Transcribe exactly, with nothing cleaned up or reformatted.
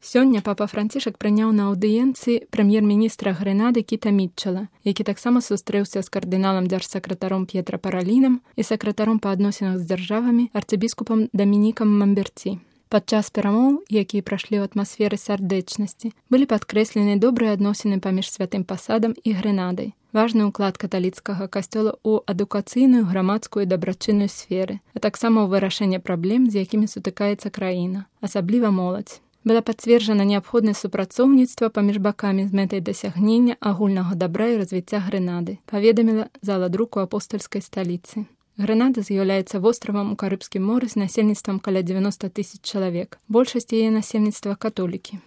Сёння папа Францішак прыняў на аўдыенцыі прэм'ер-міністра Грэнады Кіта Мітчэла, які таксама сустрэўся з кардыналам дзяржсакратаром П'етра Паралінам і сакратаром па адносінах з дзяржавамі арцыбіскупам Дамінікам Мамберці. Падчас перамоў, якія прайшлі ў атмасферы сардэчнасці, былі падкрэслены добрыя адносіны паміж святым пасадам і Грэнадай, важны ўклад каталіцкага касцёла ў адукацыйную, грамадскую і дабрачынную сферы, а таксама ў вырашэнне праблем, з якімі сутыкаецца краіна, асабліва моладзь. Была пацверджана неабходнасць супрацоўніцтва паміж бакамі з мэтай дасягнення агульнага дабра і развіцця Грэнады, паведаміла зала друку апостальскай сталіцы. Грэнада з'яўляецца востравам у Карыбскім моры з насельніцтвам каля дзевяноста тысяч чалавек. Большасць яе насельніцтва католікі.